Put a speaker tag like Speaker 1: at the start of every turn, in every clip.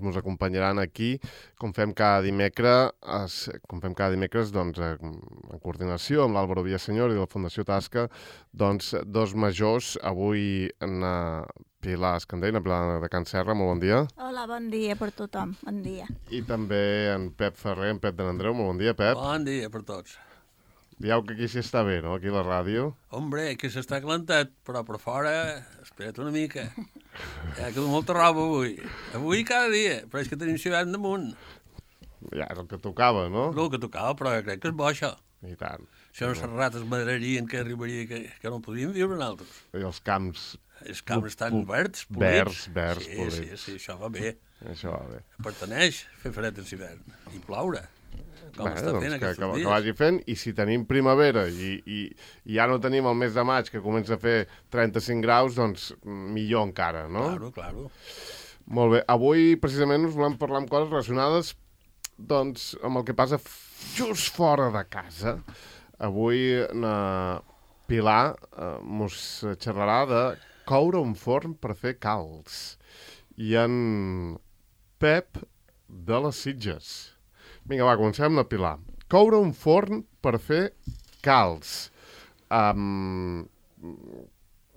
Speaker 1: ens acompanyaran aquí, com fem cada dimecres, doncs, en coordinació amb l'Àlvaro Villaseñor i la Fundació Tasca, doncs, dos majors, avui na Pilar Escandell, na Pilar de Can Serra, molt bon dia.
Speaker 2: Hola, bon dia per tothom, bon dia.
Speaker 1: I també en Pep Ferrer, en Pep de l'Andreu, molt bon dia, Pep.
Speaker 3: Bon dia per tots.
Speaker 1: Dieu que aquí s'hi està bé, no?, aquí a la ràdio.
Speaker 3: Hombre, que s'està calentat, però per fora, espera't una mica. Ja queda molta roba avui. Avui cada dia, però és que tenim l'hivern damunt.
Speaker 1: Ja és el que tocava, no?
Speaker 3: El que tocava, però crec que és bo, això.
Speaker 1: I tant.
Speaker 3: Això no les rates madrarien que arribaria, que no podíem viure nosaltres.
Speaker 1: I els camps...
Speaker 3: Els camps estan verds, polits.
Speaker 1: Verds, polits.
Speaker 3: Sí, això va bé.
Speaker 1: Això va bé.
Speaker 3: Pertaneix fer fred en l'hivern i ploure. Com està
Speaker 1: doncs
Speaker 3: fent aquests dies.
Speaker 1: que vagi fent, i si tenim primavera i ja no tenim el mes de maig, que comença a fer 35 graus, doncs millor encara, no?
Speaker 3: Claro.
Speaker 1: Molt bé. Avui, precisament, us volem parlar amb coses relacionades, doncs, amb el que passa just fora de casa. Avui, na Pilar mos xerrarà de coure un forn per fer calç. I en Pep de les Sitges. Vinga, va, comencem amb la Pilar. Coure un forn per fer calç.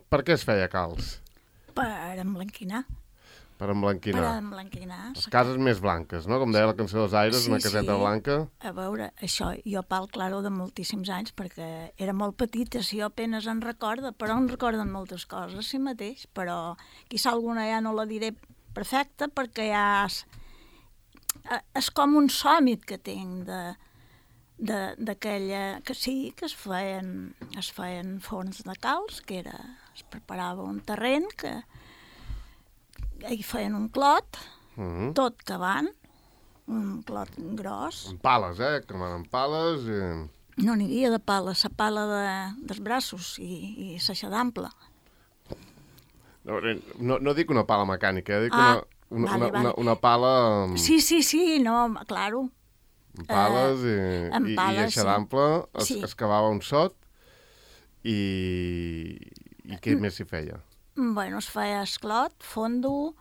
Speaker 1: Per què es feia calç?
Speaker 2: Per emblanquinar.
Speaker 1: Per emblanquinar.
Speaker 2: Per emblanquinar.
Speaker 1: Les cases més blanques, no? Com deia la cançó dels Aires,
Speaker 2: Sí,
Speaker 1: una caseta blanca.
Speaker 2: A veure, això jo parlo, claro, de moltíssims anys, perquè era molt petita, si jo apenas en recorda, però en recorden moltes coses, sí mateix, però quizà alguna ja no la diré perfecta, perquè ja és com un sòmit que tinc d'aquella... Que sí, que es feien forns de calç, que era... Es preparava un terreny que... Hi feien un clot, tot cavant, un clot gros.
Speaker 1: Amb pales, cremant amb pales.
Speaker 2: No n'hi havia de pala, la pala dels braços i l'aixadampla.
Speaker 1: No dic una pala mecànica, dic
Speaker 2: vale.
Speaker 1: una pala...
Speaker 2: Sí, no, claro.
Speaker 1: Amb pales i aixadampla,
Speaker 2: sí.
Speaker 1: Es cavava un sot i què més s'hi feia?
Speaker 2: Bueno, es feia esclot, fondo,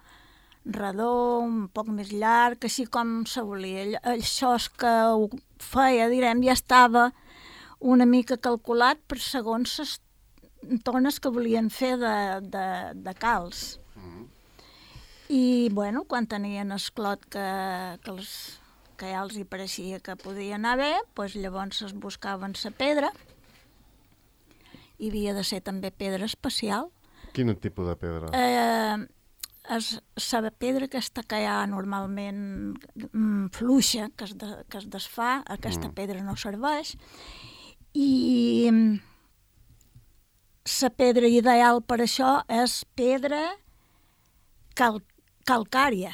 Speaker 2: redó, un poc més llarg, així com se volia. Això és que ho feia, direm, ja estava una mica calculat per segons les tones que volien fer de calç. I, bueno, quan tenien esclot que ja els hi pareixia que podia anar bé, doncs llavors es buscaven la pedra. Hi havia de ser també pedra especial.
Speaker 1: Quin tipus de pedra?
Speaker 2: La pedra aquesta que hi ha normalment fluixa, que es desfà, aquesta pedra no serveix, i la pedra ideal per això és pedra calcària.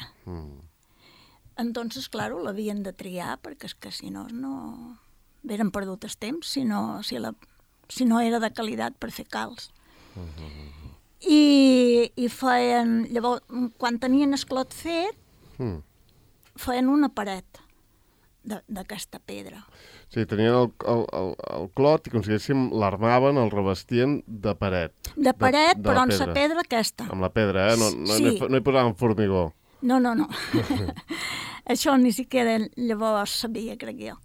Speaker 2: Entonces, claro, l'havien de triar, perquè és que si no eren perdut el temps, si no era de qualitat per fer calç. I feien, llavors, quan tenien esclot fet, feien una paret d'aquesta pedra.
Speaker 1: Sí, tenien el clot i, com si diguéssim, l'armaven, el revestien de paret.
Speaker 2: De paret, però amb la pedra aquesta.
Speaker 1: Amb la pedra, No hi posaven formigó.
Speaker 2: No. Això ni siquiera llavors sabia, crec jo.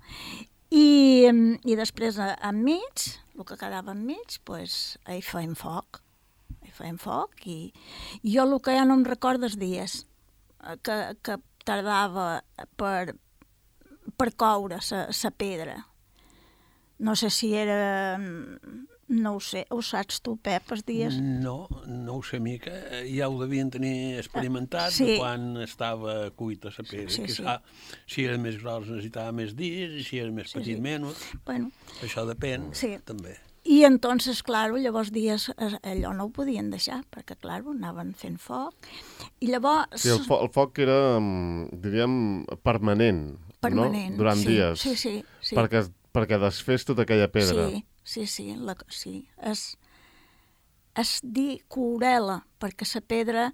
Speaker 2: I després, enmig, el que quedava enmig, doncs, hi feien foc. I jo el que ja no em recordo els dies que tardava per coure la pedra. No sé si era... No ho sé. Ho saps tu, Pep, els dies?
Speaker 3: No ho sé mica. Ja ho devien tenir experimentat
Speaker 2: sí.
Speaker 3: De quan estava cuita la pedra.
Speaker 2: Sí.
Speaker 3: Si era més gros necessitava més dies i si era més petit menys.
Speaker 2: Bueno.
Speaker 3: Això depèn, també.
Speaker 2: I entonces, claro, llavors dies allò no ho podien deixar, perquè, claro, anaven fent foc. I llavors...
Speaker 1: Sí, el foc era, diríem, permanent, no? Durant dies.
Speaker 2: Sí.
Speaker 1: Perquè desfés tota aquella pedra.
Speaker 2: Sí. Es dir coure-la, perquè la pedra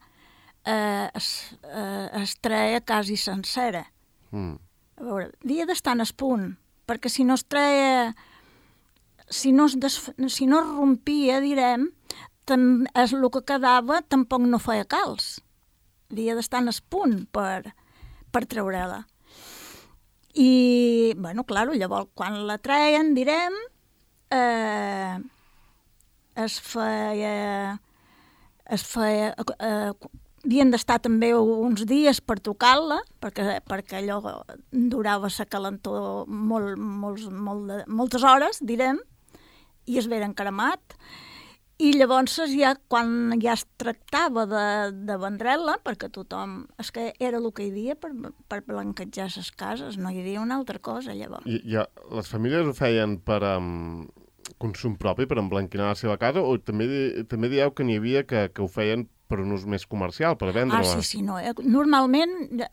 Speaker 2: es treia quasi sencera. A veure, havia d'estar en el punt, perquè si no es treia... Si no es rompia, direm, el que quedava tampoc no feia calç. Havia d'estar en el punt per per treure-la. I, bueno, clar, llavors, quan la treien, direm, es feia havien d'estar també uns dies per tocar-la, perquè allò durava la calentor moltes hores, direm, i es veren cremat. I llavors, quan ja es tractava de vendre'la, perquè tothom... És que era el que hi havia per blanquejar les cases, no hi havia una altra cosa, llavors.
Speaker 1: I les famílies ho feien per consum propi, per emblanquinar la seva casa, o també dieu que n'hi havia que ho feien per un ús més comercial, per vendre-la?
Speaker 2: Sí, no. Normalment,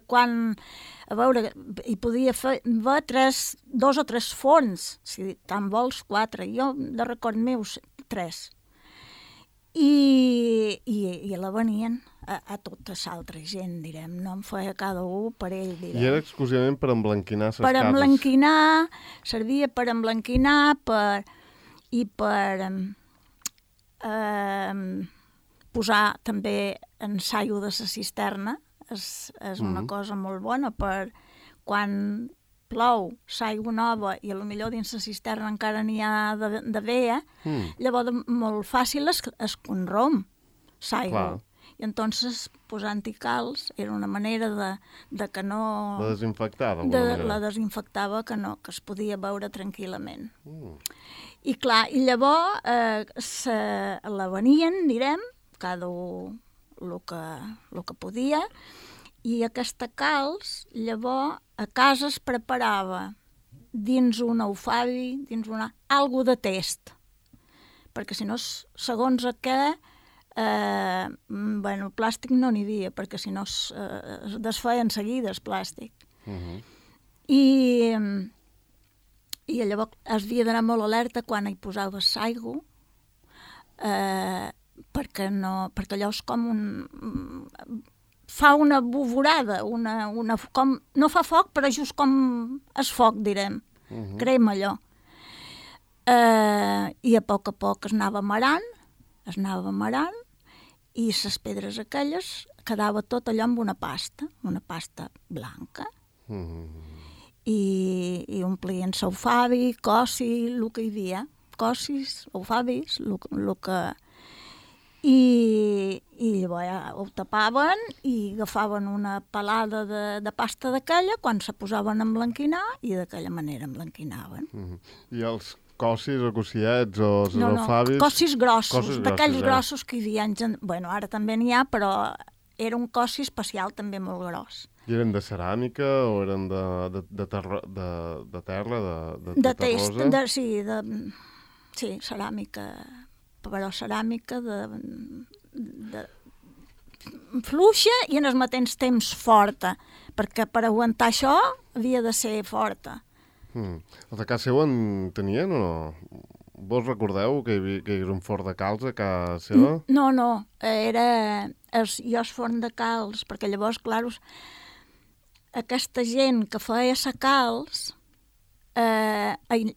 Speaker 2: quan... A veure, hi podia fer 2 o 3 forns, si te'n vols 4. Jo, de record meu, 3. I la venien a tota l'altra gent, direm. No en feia cada un per ell, direm.
Speaker 1: I era exclusivament per emblanquinar les cases?
Speaker 2: Per emblanquinar, servia per emblanquinar i per posar també ensaio de la cisterna. És una cosa molt bona per quan plou l'aigua nova i potser dins la cisterna encara n'hi ha de vea, llavors molt fàcil es conrom l'aigua. I entonces posant-hi calç era una manera de que no...
Speaker 1: La desinfectar, d'alguna manera.
Speaker 2: La desinfectava que es podia veure tranquil·lament. I clar, i llavors la venien, direm, cada un el que podia, i aquesta calç, llavors, a casa es preparava dins un eufabi, algo de test, perquè si no, segons què, el plàstic no n'hi havia, perquè si no es desfeia en seguida el plàstic. I llavors es havia d'anar molt alerta quan hi posaves l'aigua, perquè allò és com fa una buvorada, no fa foc, però just com es foc, direm, crema allò. I a poc es anava amarant, i les pedres aquelles quedava tot allò amb una pasta blanca. I omplien l'eufabi, cossi, el que hi havia, cossis, eufabis, el que... I llavors ho tapaven i agafaven una pelada de pasta d'aquella quan se posaven a emblanquinar i d'aquella manera emblanquinaven.
Speaker 1: I els cossis o cossillets o els eufabis...
Speaker 2: No, cossis grossos, d'aquells grossos que hi havia... Bueno, ara també n'hi ha, però era un cossi especial també molt gros.
Speaker 1: I eren de ceràmica o eren de terra, de terrosa?
Speaker 2: Sí, ceràmica... però ceràmica fluixa i en el mateix temps forta, perquè per aguantar això havia de ser forta.
Speaker 1: Els de casa seu en tenien o no? Vos recordeu que hi hagués un forn de calç a casa seva?
Speaker 2: No, era jo el forn de calç, perquè llavors, clar, aquesta gent que feia la calç,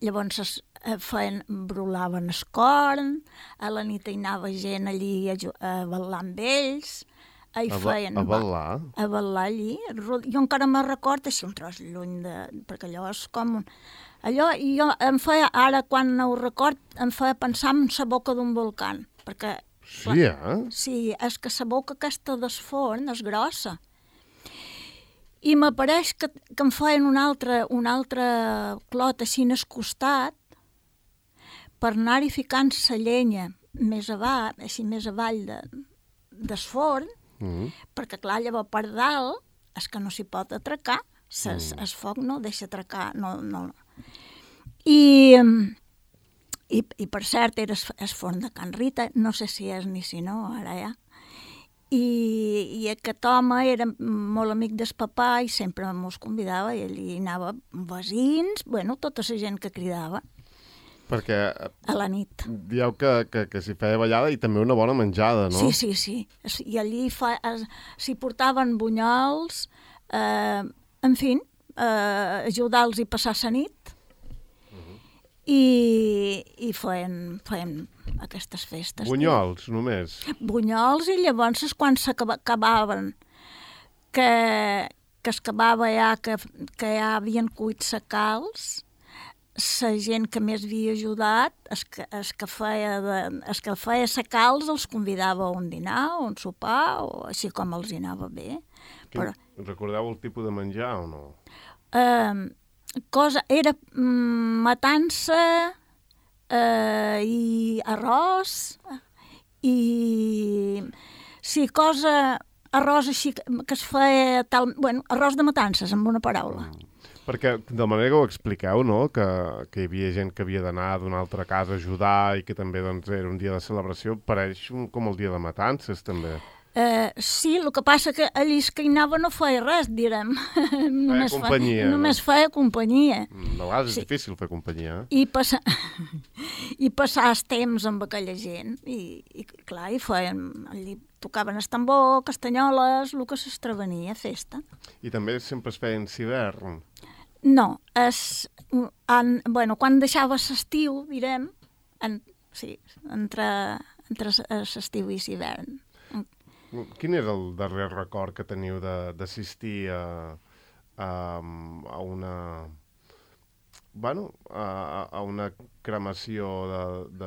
Speaker 2: llavors brolaven el corn, a la nit hi anava gent allí a ballar amb ells.
Speaker 1: A ballar?
Speaker 2: A ballar allí. Jo encara me'n record així un tros lluny, perquè allò és com... Allò, jo em feia, ara quan ho record, em feia pensar en la boca d'un volcà. Perquè,
Speaker 1: sí,
Speaker 2: Sí, és que la boca aquesta del forn és grossa. I m'apareix que em feien un altre clot així en el costat, per anar-hi ficant la llenya més avall del forn, perquè clar, llavors per dalt és que no s'hi pot atracar, el foc no deixa atracar, no. I per cert era el forn de Can Rita, no sé si és ni si no, ara ja. I aquest home era molt amic del papà i sempre mos convidava i allí anava veïns, tota la gent que cridava.
Speaker 1: Perquè
Speaker 2: a la nit.
Speaker 1: Dieu que s'hi feia ballada i també una bona menjada, no?
Speaker 2: Sí. I allí s'hi portaven bunyols, en fi, ajudar-los a passar la nit i feien aquestes festes.
Speaker 1: Bunyols, només?
Speaker 2: Bunyols i llavors quan s'acabaven, que que es acabava ja, que ja havien cuit secals, la gent que més havia ajudat, es que feia secals, els convidava a un dinar o un sopar, o així com els hi anava bé. Però,
Speaker 1: recordeu el tipus de menjar o no?
Speaker 2: era matança i arròs i sí, arròs així que es feia tal, bueno, arròs de matances, amb una paraula.
Speaker 1: Perquè de la manera que ho expliqueu, no? Que hi havia gent que havia d'anar d'una altra casa a ajudar i que també doncs, era un dia de celebració, pareix com el dia de matances, també.
Speaker 2: Sí, el que passa que allí que hi anava no feia res, direm. Només feia companyia.
Speaker 1: De vegades és difícil fer companyia.
Speaker 2: I passar el temps amb aquella gent. I clar, i feien... Allí tocaven el tambor, castanyoles, el que s'estrevenia, festa.
Speaker 1: I també sempre es feien hivern?
Speaker 2: No, quan deixava l'estiu, direm, entre l'estiu i l'hivern.
Speaker 1: Quin és el darrer record que teniu d'assistir a una cremació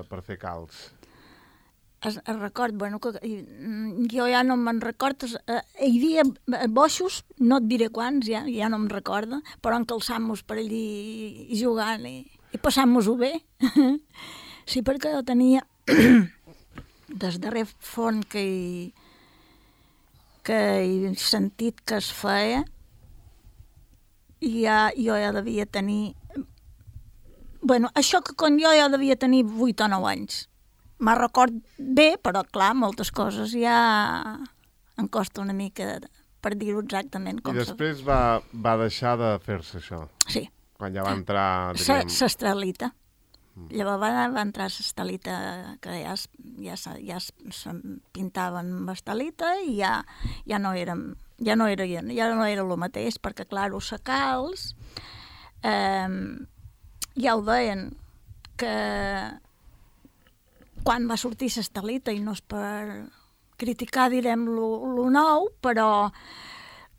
Speaker 1: per fer calç?
Speaker 2: El record, jo ja no me'n recordo, hi havia boixos, no et diré quants, ja no me'n recordo, però encalçant-nos per allí jugant i passant-nos-ho bé. Sí, perquè jo tenia des darrer font que he sentit que es feia, i jo ja devia tenir... això que quan jo ja devia tenir 8 o 9 anys. Me'n record bé, però clar, moltes coses ja em costa una mica per dir-ho exactament com.
Speaker 1: I després va deixar de fer-se això?
Speaker 2: Sí.
Speaker 1: Quan ja va entrar...
Speaker 2: L'estelita. Llavors va entrar l'estelita, que ja es pintaven amb estelita i ja no era el mateix, perquè clar, els secals ja ho deien, que quan va sortir l'estelita, i no és per criticar, direm, lo nou, però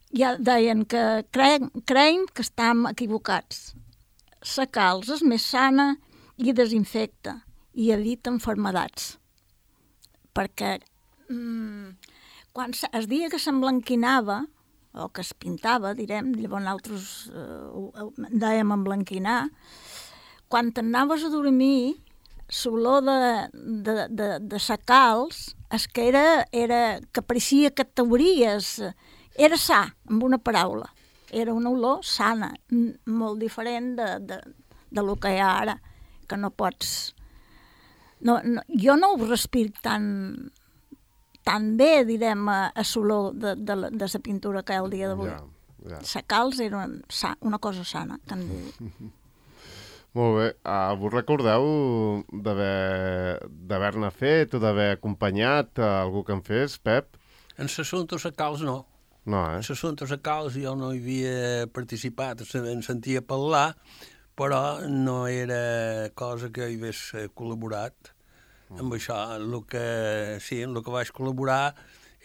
Speaker 2: ja deien que creiem que estem equivocats. La calç és més sana i desinfecta i evita malalties. Perquè quan el dia que s'emblanquinava, o que es pintava, direm, llavors nosaltres dèiem emblanquinar, quan t'anaves a dormir, l'olor de secals és que que pareixia que t'obries, era sa, amb una paraula. Era una olor sana, molt diferent de lo que hi ha ara, que no pots... jo no ho respiro tan bé, direm, a l'olor de la pintura que hi ha el dia d'avui. Secals era una cosa sana, que en diu.
Speaker 1: Molt bé. Vos recordeu d'haver-ne fet o d'haver acompanyat algú que en fes, Pep?
Speaker 3: En l'assumpte secals no.
Speaker 1: No,
Speaker 3: En l'assumpte secals jo no hi havia participat, en sentia parlar, però no era cosa que hi hagués col·laborat. Amb això, en el que vaig col·laborar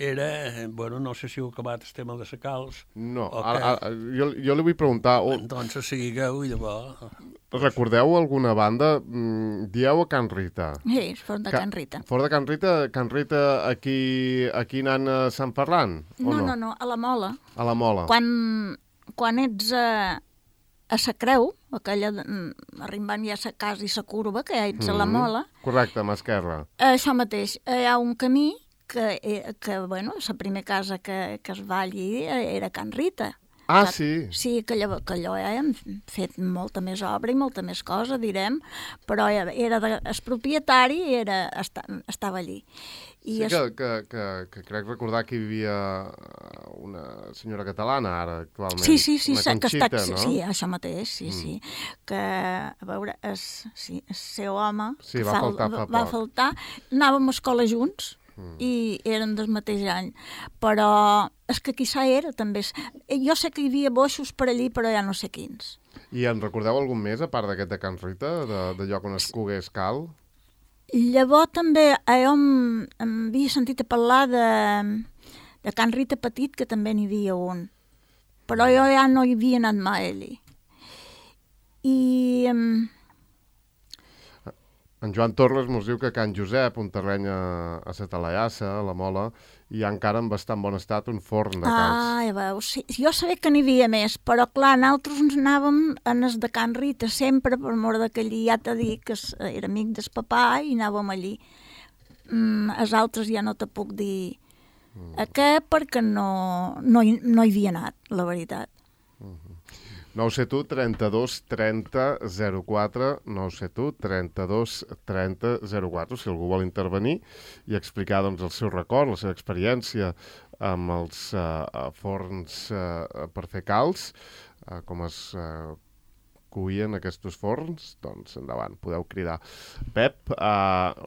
Speaker 3: era, no sé si heu acabat el tema de secals.
Speaker 1: No, jo li vull preguntar...
Speaker 3: Doncs seguigueu i llavors...
Speaker 1: Recordeu alguna banda? Dieu a Can Rita.
Speaker 2: Sí, fora de Can Rita.
Speaker 1: Fora de Can Rita? Can Rita aquí anant a Sant Ferran?
Speaker 2: No, a la Mola.
Speaker 1: A la Mola.
Speaker 2: Quan ets a la Creu, aquella arribant ja a la casa i la curva, que ja ets a la Mola...
Speaker 1: Correcte, a mà esquerra.
Speaker 2: Això mateix. Hi ha un camí que la primera casa que es va allí era Can Rita.
Speaker 1: Ah, sí?
Speaker 2: Sí, que allò ja hem fet molta més obra i molta més cosa, direm, però el propietari estava allí.
Speaker 1: Sí, que crec recordar que hi vivia una senyora catalana ara, actualment.
Speaker 2: Sí,
Speaker 1: una Conxita, no?
Speaker 2: Sí, això mateix, sí. Que, a veure, el seu home va faltar, anàvem a escola junts, i eren del mateix any, però és que quizà era també. Jo sé que hi havia boixos per allí, però ja no sé quins.
Speaker 1: I en recordeu algun més, a part d'aquest de Can Rita, de lloc on es cogués cal?
Speaker 2: Llavors també jo em havia sentit a parlar de Can Rita Petit, que també n'hi havia un, però jo ja no hi havia anat mai allí. I
Speaker 1: En Joan Torres mos diu que Can Josep, un terreny a la Talaiassa, a la Mola, hi ha encara en bastant bon estat un forn de calç.
Speaker 2: ja veus, sí, jo sabia que n'hi havia més, però clar, nosaltres ens anàvem a les de Can Rita sempre, per mort que allí ja t'he dit que era amic del papà i anàvem allí. Els altres ja no te puc dir a què, perquè no hi havia anat, la veritat.
Speaker 1: 971 32 30 04, 971 32 30 04, si algú vol intervenir i explicar doncs, el seu record, la seva experiència amb els forns per fer calç, com es cuien aquests forns, doncs endavant, podeu cridar. Pep,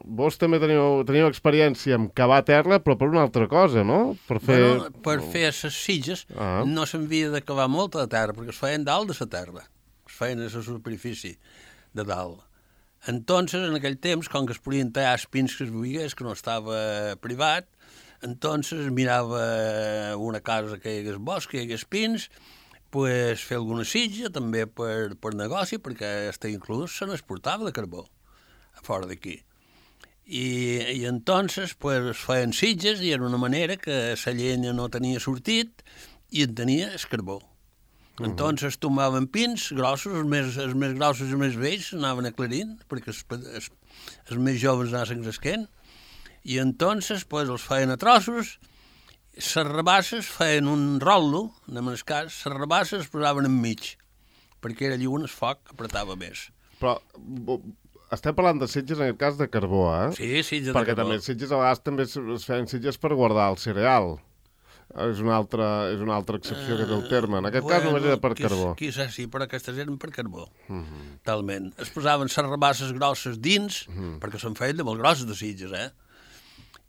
Speaker 1: vos també teniu experiència amb cavar terra, però per una altra cosa, no? Per
Speaker 3: fer les sitges no s'havia de cavar molta de terra, perquè es feien dalt de la terra, es feien a la superfície de dalt. Entonces, en aquell temps, com que es podien tallar els pins que es veiés, que no estava privat, entonces mirava una casa que hi hagués bosc, que hi hagués pins, pues, fer alguna sitja, també per negoci, perquè està inclús se n'exportava de carbó, a fora d'aquí. I entonces pues, es feien sitges i era una manera que la llenya no tenia sortit i en tenia el carbó. Entonces tomaven pins grossos, els més grossos i els més vells anaven aclarint, perquè els més joves anaven cresquent, i entonces pues, els feien a trossos. Les rabasses feien un rotllo, en el cas, les rabasses es posaven enmig, perquè era allí on el foc apretava més.
Speaker 1: Però estem parlant de sitges en el cas de carbó, eh?
Speaker 3: Sí, sitges de carbó.
Speaker 1: Perquè també sitges a vegades també es feien sitges per guardar el cereal. És una altra excepció que té el terme. En aquest cas només era per carbó.
Speaker 3: Quizás sí, però aquestes eren per carbó. Talment. Es posaven les rabasses grosses dins, perquè se'n feien de molt grosses de sitges,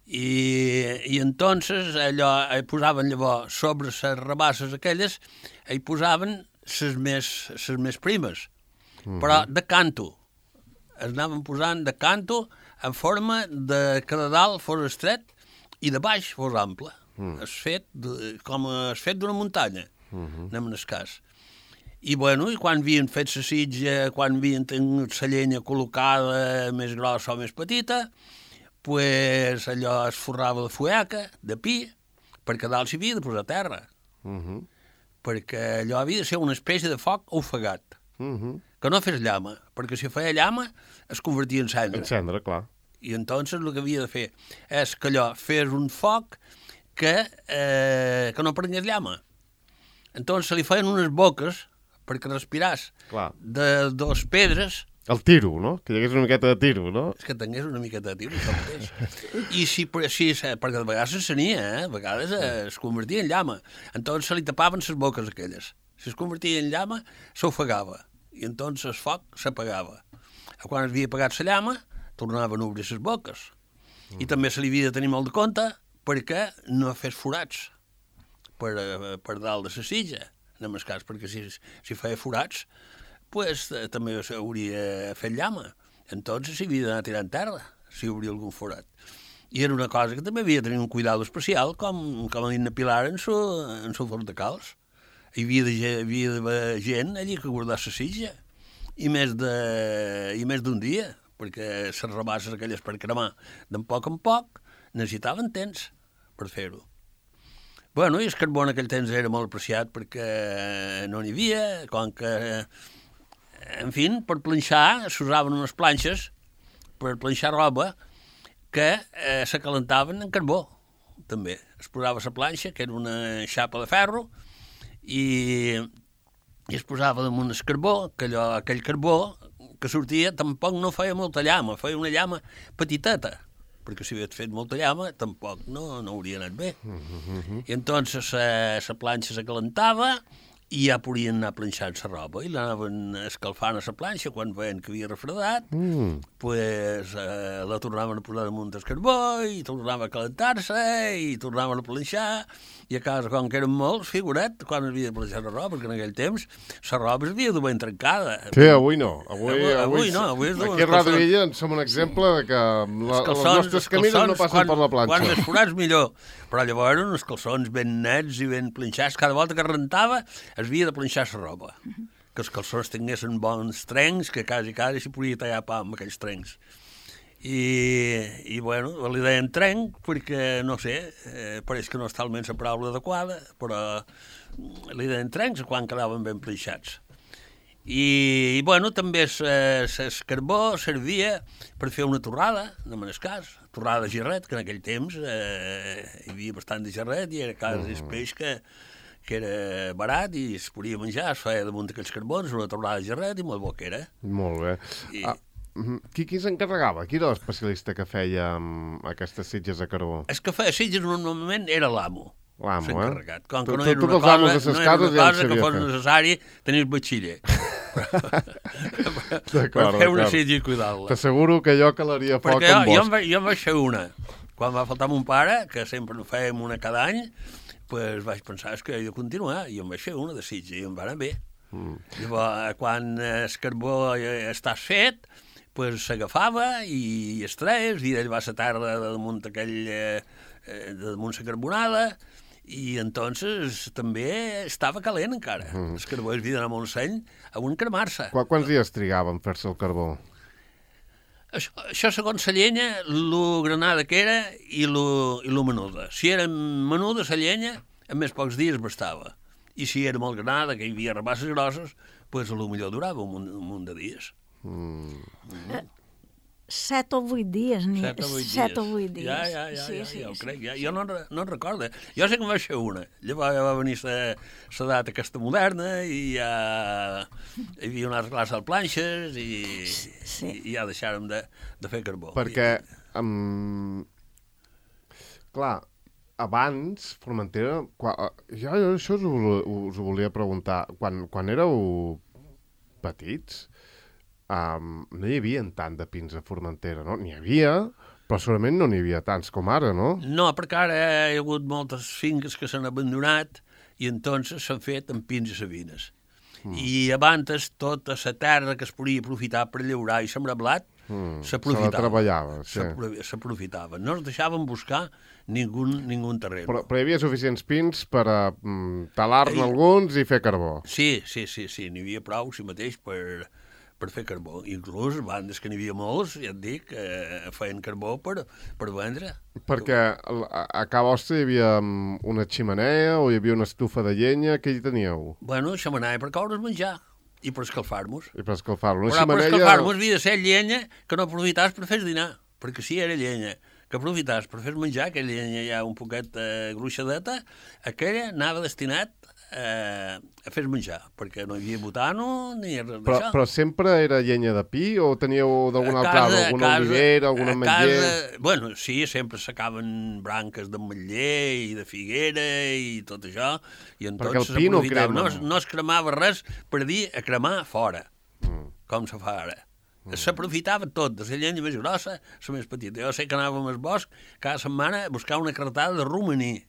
Speaker 3: I entonces allò posaven llavors sobre les rabasses aquelles hi posaven les més primes, però de canto. Es anaven posant de canto en forma de que de dalt fos estret i de baix fos ample. És fet d'una muntanya, anem en el cas. I bueno, i quan havien fet la sitja, quan havien tingut la llenya col·locada més grossa o més petita, pues allò es forrava de fueca, de pi, perquè dalt s'hi havia de posar terra. Perquè allò havia de ser una espècie de foc ofegat, que no fes llama, perquè si feia llama es convertia en cendra.
Speaker 1: En cendra, clar.
Speaker 3: I entonces el que havia de fer és que allò fes un foc que no prengués llama. Entonces se li feien unes boques perquè respiràs de dos pedres.
Speaker 1: El tiro, no? Que hi hagués una miqueta de tiro, no?
Speaker 3: És que tingués una miqueta de tiro, això mateix. I perquè de vegades s'encenia, a vegades es convertia en llama. Entonces se li tapaven les boques aquelles. Si es convertia en llama, s'ofegava. I entonces el foc s'apagava. Quan es havia apagat la llama, tornaven a obrir les boques. I també se li havia de tenir molt de compte perquè no fes forats per dalt de la sitja, en el cas, perquè si feia forats, pues també s'hauria fet llama. Entonces s'hi havia d'anar tirant terra, si obria algun forat. I era una cosa que també havia de tenir un cuidado especial, com a dit Pilar en su forn de calç. Hi havia d'haver gent allí que guardava la sitja, i més d'un dia, perquè les rabasses aquelles per cremar d'en poc en poc necessitaven temps per fer-ho. Bueno, i el carbó en aquell temps era molt apreciat perquè no n'hi havia, com que, en fi, per planxar s'usaven unes planxes per planxar roba que se calentaven en carbó, també. Es posava la planxa, que era una xapa de ferro, i es posava damunt el carbó, que aquell carbó que sortia tampoc no feia molta llama, feia una llama petiteta, perquè si havies fet molta llama tampoc no hauria anat bé. I entonces la planxa se calentava i ja podien anar planxant la roba i l'anaven escalfant a la planxa quan veien que havia refredat, pues la tornaven a posar damunt del carbó i tornava a calentar-se i tornaven a planxar, i a casa, com que eren molts, figurat, quan havia de planxar la roba, perquè en aquell temps la roba s'havia de ben trencada.
Speaker 1: Sí, avui no.
Speaker 3: Avui no.
Speaker 1: Aquí a Ràdio Illa en som un exemple de que els nostres camins no passen per la planxa.
Speaker 3: Quan més forats millor. Però llavors eren uns calçons ben nets i ben planxats. Cada volta que rentava havia de planxar la roba, que els calçons tinguessin bons trencs, que quasi s'hi podia tallar pa amb aquells trencs. I bueno, li deien trenc perquè, no sé, pareix que no és talment la paraula adequada, però li deien trencs quan quedaven ben planxats. I bueno, també el carbó servia per fer una torrada, no me'n cas, torrada de gerret, que en aquell temps hi havia bastant de gerret i era quasi el peix que era barat i es podia menjar, es feia damunt d'aquells carbons, una torrada de gerret i molt bo que era.
Speaker 1: Molt bé. Qui s'encarregava? Qui era l'especialista que feia aquestes sitges de carbó?
Speaker 3: El que feia sitges normalment era l'amo.
Speaker 1: L'amo,
Speaker 3: s'encarregat. Com que no
Speaker 1: era una cosa
Speaker 3: que fos necessari tenir batxiller. Per fer una sitja i cuidar-la.
Speaker 1: T'asseguro que jo calaria foc amb bosc.
Speaker 3: Perquè jo en vaig fer una. Quan va faltar mon pare, que sempre en fèiem una cada any, pues vaig pensar que he de continuar, i em vaig fer una de sitja, i em va anar bé. Llavors, quan el carbó està fet, pues s'agafava i es treia, i ell va a la tarda damunt damunt la carbonada, i entonces també estava calent encara. El carbó es havia d'anar molt seny a un cremar-se.
Speaker 1: Quants dies trigava en fer-se el carbó?
Speaker 3: Això segons la llenya, lo granada que era i lo menuda. Si era menuda la llenya, en més pocs dies bastava. I si era molt granada, que hi havia rabasses grosses, pues potser durava un munt de dies.
Speaker 2: 7 o 8 dies. 7 o 8 dies.
Speaker 3: Ja ho crec. Jo no en recordo. Jo sé que em vaig fer una. Llavors ja va venir la data aquesta moderna i ja hi havia una altra classe de planxes i ja deixàrem de fer carbó.
Speaker 1: Perquè, clar, abans, Formentera, jo això us ho volia preguntar, quan éreu petits, no hi havia tant de pins a Formentera, no? N'hi havia, però segurament no n'hi havia tants com ara, no?
Speaker 3: No, perquè ara hi ha hagut moltes finques que s'han abandonat i entonces s'han fet amb pins i sabines. I abans tota la terra que es podia aprofitar per llaurar i sembrar blat s'aprofitava.
Speaker 1: Se la treballava, sí.
Speaker 3: S'aprofitava. No es deixaven buscar ningú terreny.
Speaker 1: Però hi havia suficients pins per talar-ne alguns i fer carbó.
Speaker 3: Sí, n'hi havia prou, si mateix, per fer carbó. Inclús bandes que n'hi havia molts, ja et dic, feien carbó per vendre.
Speaker 1: Perquè a Ca vostra hi havia una ximenea o hi havia una estufa de llenya, què hi teníeu?
Speaker 3: Bueno, xemeneia per coure's menjar i per escalfar-nos.
Speaker 1: I per escalfar-nos.
Speaker 3: Però per escalfar-nos havia de ser llenya que no aprofitàs per fer dinar, perquè si era llenya que aprofitàs per fer menjar, aquella llenya ja un poquet gruixadeta, aquella anava destinat a fer menjar, perquè no hi havia butano ni res d'això.
Speaker 1: Però sempre era llenya de pi o teníeu d'algun altre arbre, alguna olivera, alguna ametller?
Speaker 3: Bueno, sí, sempre s'acaben branques d'ametller i de figuera i tot això, i
Speaker 1: perquè el pi no crema.
Speaker 3: No es cremava res per dir a cremar fora, com se fa ara. S'aprofitava tot, de la llenya més grossa, la més petita. Jo sé que anàvem al bosc cada setmana a buscar una cartada de romaní.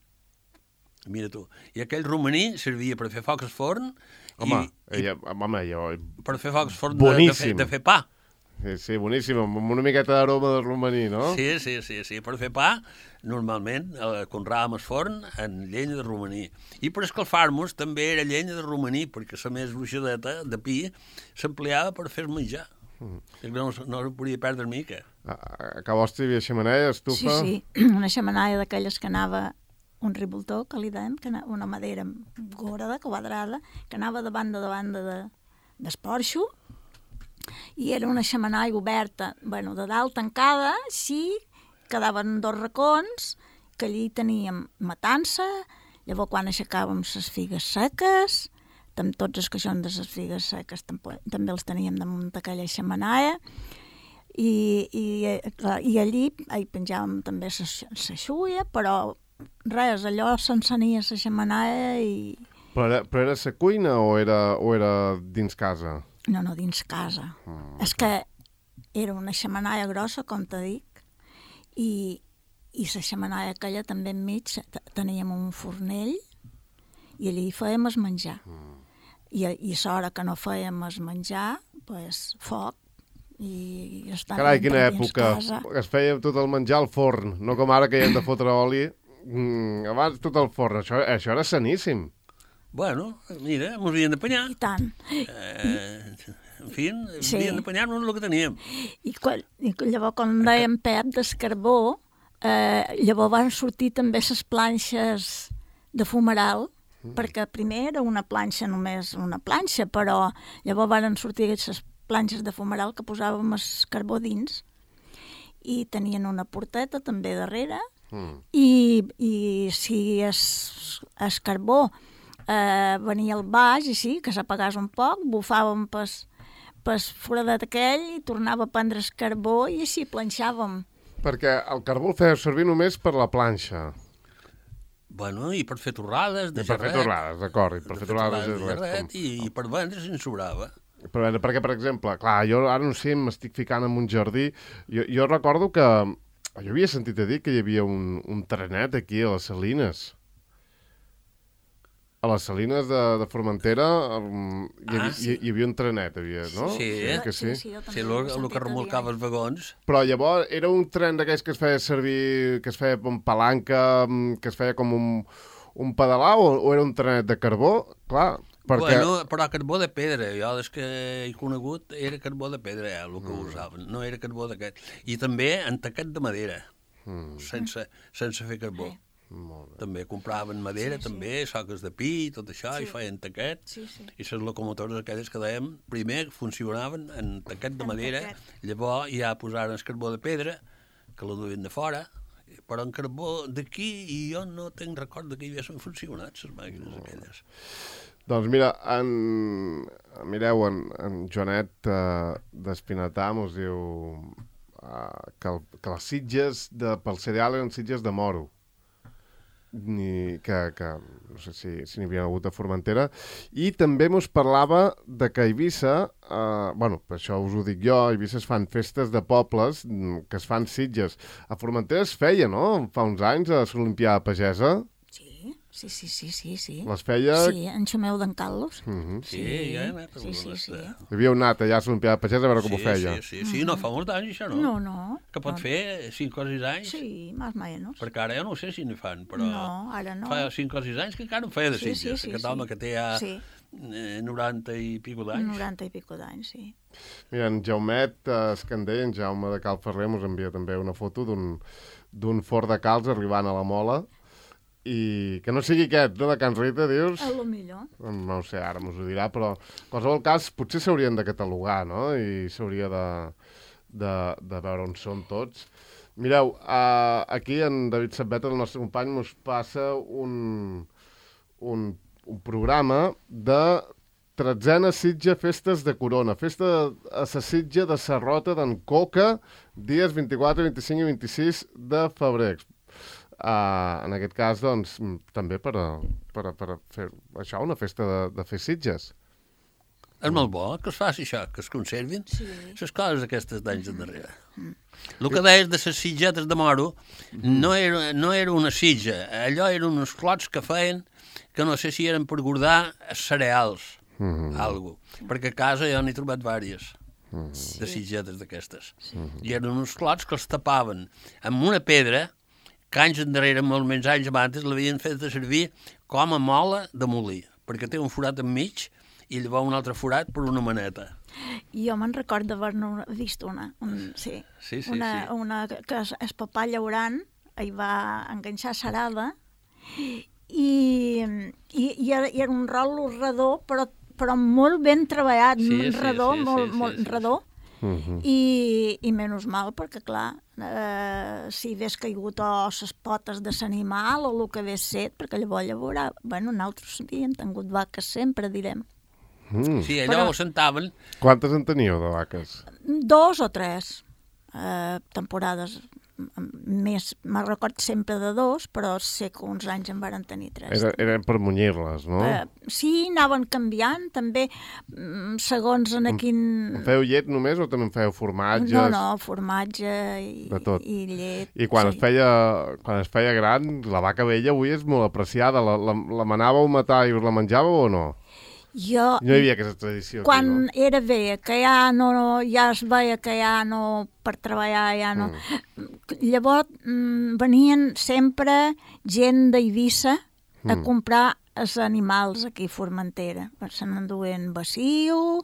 Speaker 3: Mira tu. I aquell romaní servia per fer foc al forn.
Speaker 1: Home,
Speaker 3: per fer foc al forn de fer pa.
Speaker 1: Sí, boníssim, amb una miqueta d'aroma de romaní, no?
Speaker 3: Sí. Per fer pa, normalment, conràvem el forn en llenya de romaní. I per escalfar-nos també era llenya de romaní, perquè la més gruixadeta de pi s'empleava per fer menjar. No ho podia perdre mica.
Speaker 1: A Ca vostra hi havia xemeneia, estufa?
Speaker 2: Sí, una xemeneia d'aquelles que anava un riboltó, que li deien, una madera gorda, quadrada, que anava de banda d'esporxo, i era una xemeneia oberta, de dalt tancada, sí, quedaven 2 racons, que allí teníem matança, llavors quan aixecàvem les figues seques, tots els caixons de les figues seques també els teníem damunt d'aquella xemeneia, i allí hi penjàvem també la xuia, però res, allò s'encenia la xemeneia i...
Speaker 1: Però era la cuina o era dins casa?
Speaker 2: No, dins casa. És que era una xemeneia grossa, com t'he dit, i la xemeneia aquella també enmig teníem un fornell i allí fèiem el menjar. I a l'hora que no fèiem el menjar, foc, i estàvem
Speaker 1: carai, quina època.
Speaker 2: Casa.
Speaker 1: Es feia tot el menjar al forn, no com ara que hi hem de fotre oli. Abans tot al forn, això era saníssim.
Speaker 3: Bueno, mira, mos havien d'apanyar.
Speaker 2: I tant.
Speaker 3: En fi,
Speaker 2: Sí.
Speaker 3: havien d'apanyar-nos el que teníem.
Speaker 2: I llavors, quan dèiem Pep d'escarbó, llavors van sortir també les planxes de fumeral, perquè primer era una planxa, només una planxa, però llavors van sortir les planxes de fumeral que posàvem el carbó dins i tenien una porteta també darrere i si el carbó venia al baix i sí, que s'apagàs un poc, bufàvem pel foradet aquell i tornava a prendre el carbó i així planxàvem.
Speaker 1: Perquè el carbó el feia servir només per la planxa.
Speaker 3: Bueno, i per fer torrades de
Speaker 1: I per fer torrades, d'acord, i per fer torrades de
Speaker 3: gerret, i per vendre si en sobrava.
Speaker 1: Perquè, per exemple, clar, jo ara no sé, m'estic ficant en un jardí. Jo recordo que jo havia sentit a dir que hi havia un trenet aquí a les Salines. A les Salines de Formentera hi havia un trenet, no?
Speaker 3: Sí,
Speaker 1: que sí.
Speaker 3: Sí, el que remolcava els vagons.
Speaker 1: Però llavors era un tren d'aquells que es feia servir, que es feia amb palanca, que es feia com un pedalar, o era un trenet de carbó? Clar, perquè...
Speaker 3: Bueno, però carbó de pedra. Jo des que he conegut era carbó de pedra, el que usaven. No era carbó d'aquest. I també en taquet de madera, sense fer carbó. També compraven madera, també, soques de pi i tot això, i feien taquet. I les locomotores aquelles que dèiem, primer funcionaven en taquet de madera, llavors ja posaren el carbó de pedra, que la duien de fora, però en carbó d'aquí i jo no tenc record que hi haguessin funcionat les màquines aquelles.
Speaker 1: Doncs mira, mireu, en Joanet d'Espinatà mos diu que les sitges pel cereal eren sitges de moro. Que no sé si n'hi havia hagut a Formentera, i també mos parlava de que a Eivissa, bueno, per això us ho dic jo, a Eivissa es fan festes de pobles que es fan sitges. A Formentera es feia, no?, fa uns anys, a l'Olimpiada Pagesa.
Speaker 2: Sí.
Speaker 1: Les feia...
Speaker 2: Sí, en Xumeu d'en Carlos.
Speaker 3: Sí, ja he anat.
Speaker 2: Sí.
Speaker 1: Havíeu anat allà a l'Olimpiada Pagesa a veure com ho feia.
Speaker 3: Sí, no fa molts anys, això, no?
Speaker 2: No.
Speaker 3: Que pot fer 5 o 6 anys?
Speaker 2: Sí, més o menys.
Speaker 3: Perquè ara jo no sé si n'hi fan, però...
Speaker 2: No, ara no.
Speaker 3: Fa 5 o 6 anys que encara ho feia de sitges. Aquest home que té ja 90 i pico d'anys.
Speaker 2: 90 i pico d'anys, sí.
Speaker 1: Mira, en Jaumet Escandell, en Jaume de Cal Ferrer, mos envia també una foto d'un forn de calç arribant a la Mola, i que no sigui aquest, no, de Can Rita, dius?
Speaker 2: A lo millor.
Speaker 1: No ho sé, ara mos ho dirà, però en qualsevol cas potser s'haurien de catalogar, no? I s'hauria de veure on són tots. Mireu, aquí en David Sabbeta, el nostre company, mos passa un programa de 13a Sitja Festes de Corona. Festa a la Sitja de Sarrota d'en Coca, dies 24, 25 i 26 de febrer. En aquest cas, doncs, també per fer això, una festa de fer sitges.
Speaker 3: És molt bo que es faci això, que es conservin les coses aquestes d'anys endarrere. El que deies de les sitgetes de moro no era una sitja, allò eren uns clots que feien que no sé si eren per guardar cereals, algo, perquè a casa jo n'he trobat vàries de sitgetes d'aquestes. I eren uns clots que els tapaven amb una pedra que anys endarrere, molts menys anys abans, l'havien fet servir com a mola de molí, perquè té un forat enmig i llavors un altre forat per una maneta.
Speaker 2: Jo me'n record d'haver-ne vist una que el papà llaurant hi va enganxar sarada i era un rol redó, però molt ben treballat, molt redó. I menys mal, perquè clar, si hagués caigut a les potes de l'animal o el que hagués set, perquè llavors, bueno, nosaltres havíem tingut vaques sempre, direm.
Speaker 3: Sí, allò ho sentaven.
Speaker 1: Quantes en teníeu de vaques?
Speaker 2: 2 o 3 temporades. Més, me'n record sempre de 2, però sé que uns anys en varen tenir 3.
Speaker 1: Eren per munyir-les, no?
Speaker 2: Sí, anaven canviant, també, segons en quin...
Speaker 1: En fèieu llet només o també en fèieu formatges?
Speaker 2: No, formatge i llet.
Speaker 1: I quan es feia gran, la vaca vella avui és molt apreciada. La manàveu a matar i us la menjàveu o no?
Speaker 2: No
Speaker 1: hi havia aquesta tradició.
Speaker 2: Quan era bé, que ja es veia que ja no, per treballar ja no... Llavors venien sempre gent d'Eivissa a comprar els animals aquí a Formentera. Se n'enduen baciu,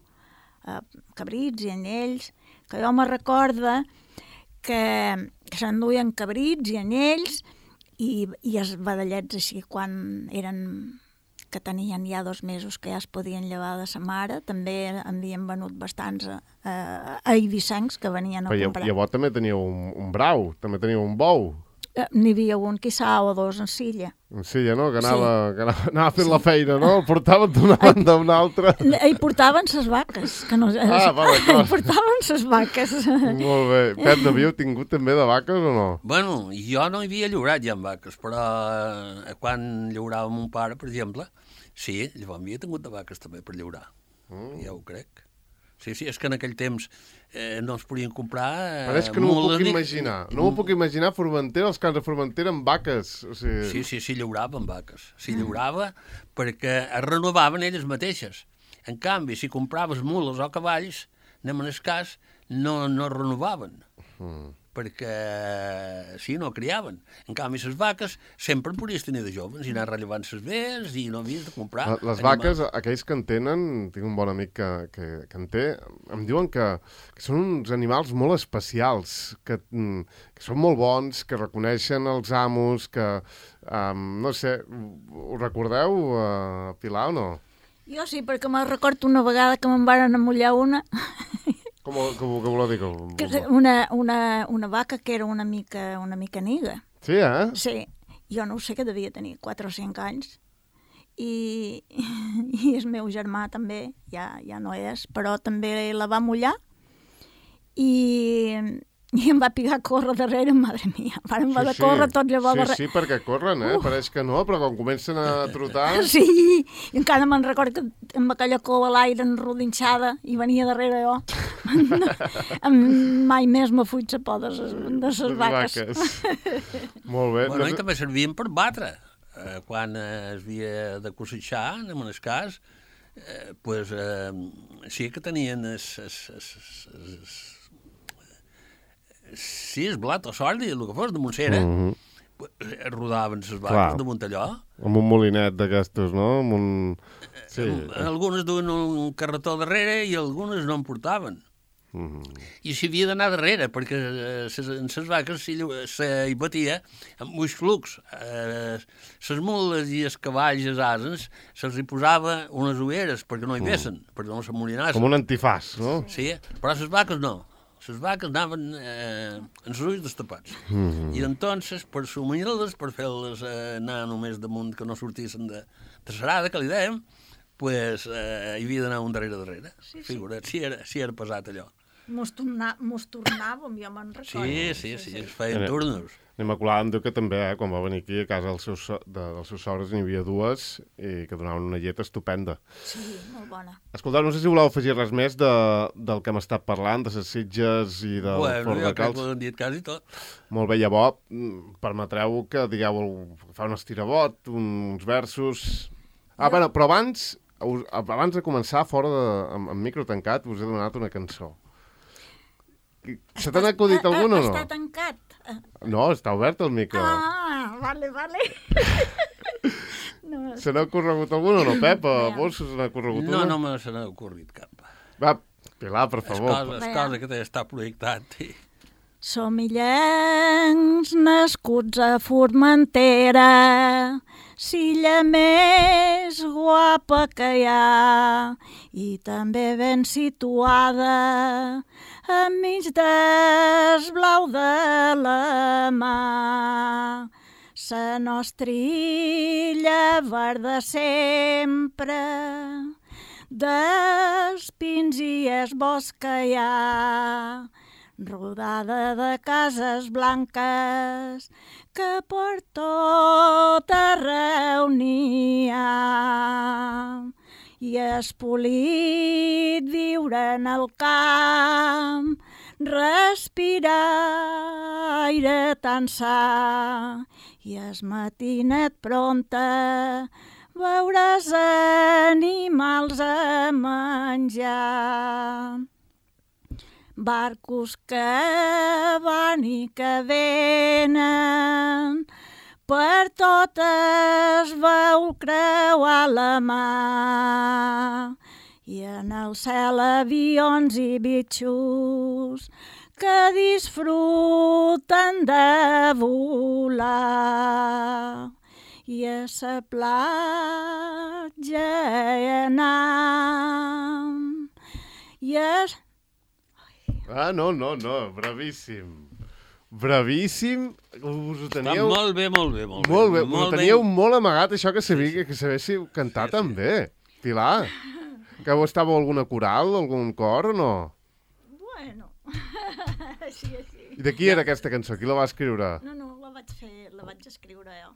Speaker 2: cabrits i anyells, que jo me recorda que s'enduien cabrits i anyells i els vedellets així quan eren que tenien ja 2 mesos que ja es podien llevar de sa mare, també en havien venut bastants a eivissencs que venien a comprar.
Speaker 1: Però llavors també teníeu un brau, també teníeu un bou.
Speaker 2: N'hi havia un, quizà, o 2 en Silla.
Speaker 1: En Silla, no? Que anava fent la feina, no? El portaven d'una banda a una altra.
Speaker 2: Hi portaven ses vaques. Que no,
Speaker 1: va, d'acord.
Speaker 2: Hi portaven ses vaques.
Speaker 1: Molt bé. Pep, n'havíeu tingut també de vaques o no?
Speaker 3: Bueno, jo no hi havia llaurat ja amb vaques, però quan llaurava mon pare, per exemple, sí, llavors havia tingut de vaques també per llaurar. Ja ho crec. Sí, és que en aquell temps no es podien comprar...
Speaker 1: Però és que no m'ho puc imaginar. No m'ho puc imaginar Formentera, els camps de Formentera amb vaques. O sigui...
Speaker 3: Sí, llauraven vaques. Sí, llaurava perquè es renovaven elles mateixes. En canvi, si compraves mules o cavalls, anem en el cas, no renovaven. Perquè, sí, no criaven. En canvi, les vaques sempre podies tenir de joves i anar rellevant les vees i no havies de comprar.
Speaker 1: Les vaques, aquells que en tenen, tinc un bon amic que en té, em diuen que són uns animals molt especials, que són molt bons, que reconeixen els amos, que, no sé, ho recordeu, Pilar, o no?
Speaker 2: Jo sí, perquè me'n recordo una vegada que me'n varen amollar una...
Speaker 1: Com voleu dir?
Speaker 2: Una vaca que era una mica niga.
Speaker 1: Sí, eh?
Speaker 2: Sí, jo no ho sé, que devia tenir 4 o 5 anys. I el meu germà també, ja no és, però també la va mullar i em va picar a córrer darrere, madre mia. Vàrem haver de córrer tot llavors darrere.
Speaker 1: Sí, perquè corren, pareix que no, però quan comencen a trotar...
Speaker 2: Sí, i encara me'n recordo que amb aquella cova a l'aire enrodinxada i venia darrere jo. Mai més me fuig a por de les vaques.
Speaker 1: Molt bé.
Speaker 3: Bueno, i també servien per batre. Quan es havia de cosechar, en el cas, pues, sí que tenien sí, el blat o sordi, el que fos, de Montsera, rodaven les vaques damunt allò.
Speaker 1: Amb un molinet d'aquestos, no? Sí.
Speaker 3: Algunes duen un carretó darrere i algunes no en portaven. I s'hi havia d'anar darrere, perquè en les vaques s'hi batia amb uns flucs. Les mules i els cavalls, els asens, se'ls hi posava unes ulleres perquè no hi vessen, perquè no s'amolinassin.
Speaker 1: Com un antifàs, no?
Speaker 3: Sí, però les vaques no. Les vaques anaven amb els ulls destapats. I entonces, per sumir-les, per fer-les anar només damunt, que no sortissin de serada, que li dèiem, pues, hi havia d'anar un darrere. Figura't, si era pesat allò.
Speaker 2: Mos tornàvem, jo me'n recordo.
Speaker 3: Sí, es feien turnos.
Speaker 1: L'Immaculada em diu que també, quan va venir aquí a casa dels seus sogres n'hi havia 2 i que donaven una llet estupenda.
Speaker 2: Sí, molt bona.
Speaker 1: Escolteu, no sé si voleu afegir res més del que hem estat parlant, de les Sitges i del Fort de Calç.
Speaker 3: Jo crec que ho hem dit quasi tot.
Speaker 1: Molt bé, llavors, permetreu que digueu, fa un estirabot, uns versos... Bueno, però abans de començar, amb micro tancat, us he donat una cançó. Se t'ha acudit alguna o no?
Speaker 2: Està tancat.
Speaker 1: No, està obert el micro.
Speaker 2: Vale.
Speaker 1: Se n'ha ocorregut alguna o no, Pep? A vos se n'ha ocorregut una?
Speaker 3: No me se n'ha ocorregut cap.
Speaker 1: Va, Pilar, per favor.
Speaker 3: És cosa que està projectat.
Speaker 2: Som illencs nascuts a Formentera, l'illa més guapa que hi ha, i també ben situada, enmig del blau de la mar. La nostra illa verda sempre, dels pins i el bosc que hi ha, rodada de cases blanques que per tot arreu n'hi ha. I és polit viure en el camp, respirar aire tan sa, i es matinet pronta veuràs animals a menjar. Barcos que van i que venen per totes veu creuar la mà. I en el cel avions i bitxos que disfruten de volar. I a sa platja hi anam. I
Speaker 1: No, bravíssim. Bravíssim. Us ho
Speaker 3: Està
Speaker 1: teníeu...
Speaker 3: molt bé.
Speaker 1: Molt bé, us ho teníeu molt amagat, això que sabéssiu cantar també. Pilar, que estàveu alguna coral, algun cor o no?
Speaker 2: bueno, així.
Speaker 1: I de qui era aquesta cançó? Qui la va escriure?
Speaker 2: No, la vaig escriure jo.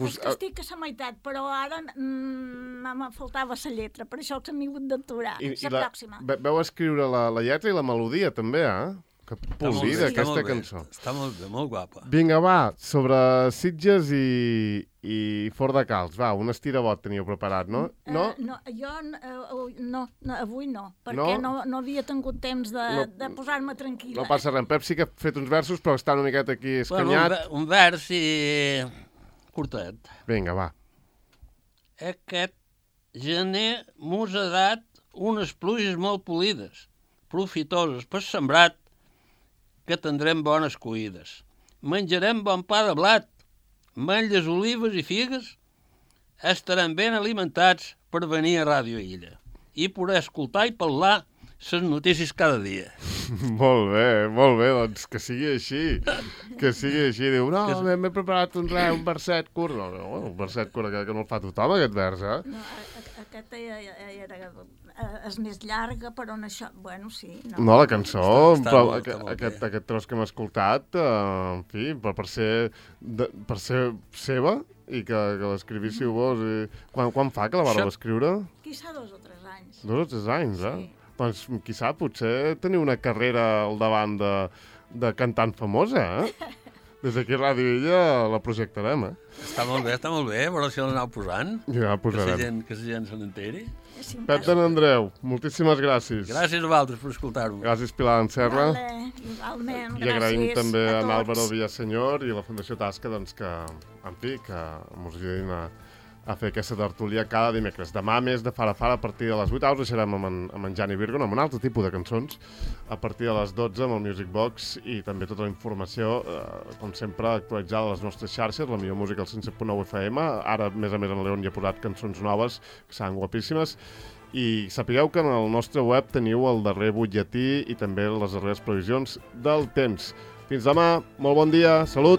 Speaker 1: És
Speaker 2: que estic a la meitat, però ara me faltava la lletra, per això que m'he hagut d'aturar. La pròxima.
Speaker 1: Veu escriure la lletra i la melodia, també, eh? Que polida, aquesta cançó.
Speaker 3: Està molt bé, molt guapa.
Speaker 1: Vinga, va, sobre Sitges i Fort de Calç. Va, un estirabot teníeu preparat, no?
Speaker 2: No, jo avui no, perquè no havia tingut temps de posar-me tranquil·la.
Speaker 1: No passa res. En Pep sí que ha fet uns versos, però està una miqueta aquí escanyat.
Speaker 3: Bueno, un vers i curtet.
Speaker 1: Vinga, va.
Speaker 3: Aquest gener mos ha dat unes pluges molt polides, profitoses per sembrat, que tindrem bones cuides. Menjarem bon pa de blat, ametlles, olives i figues, estarem ben alimentats per venir a Ràdio Illa i poder escoltar i parlar les notícies cada dia.
Speaker 1: Molt bé, doncs que sigui així. Que sigui així. Diu, no, m'he preparat un verset curt. No, un verset curt que no el fa tothom, aquest vers, eh?
Speaker 2: No, aquest és més llarga, però en això... Bueno, sí.
Speaker 1: No, la cançó, però aquest tros que hem escoltat, en fi, per ser seva i que l'escrivíssiu vos. Quan fa que la vareu escriure?
Speaker 2: Quizà 2 o 3 anys.
Speaker 1: 2 o 3 anys, eh?
Speaker 2: Sí.
Speaker 1: Doncs quizà potser teniu una carrera al davant de cantant famosa, eh? Des d'aquí a Ràdio Illa la projectarem, eh?
Speaker 3: Està molt bé, però si l'aneu posant,
Speaker 1: ja la posarem.
Speaker 3: Que la gent se n'enteri.
Speaker 1: Pep de Andreu, moltíssimes gràcies.
Speaker 3: Gràcies a vosaltres per escoltar-ho.
Speaker 1: Gràcies, Pilar Anserra.
Speaker 2: Igualment,
Speaker 1: gràcies. I agraïm també a Álvaro Villasenyor i a la Fundació Tasca, doncs, que, en fi, que mos ajudin a fer aquesta tertúlia cada dimecres. Demà, més de Fara Fara, a partir de les 8, us deixarem amb en Jani Virgo, amb un altre tipus de cançons, a partir de les 12 amb el Music Box i també tota la informació, com sempre, actualitzada a les nostres xarxes, la millor música al 107.9 FM. Ara, a més, en León hi ha posat cançons noves, que seran guapíssimes. I sapigueu que en el nostre web teniu el darrer butlletí i també les darreres previsions del temps. Fins demà, molt bon dia, salut!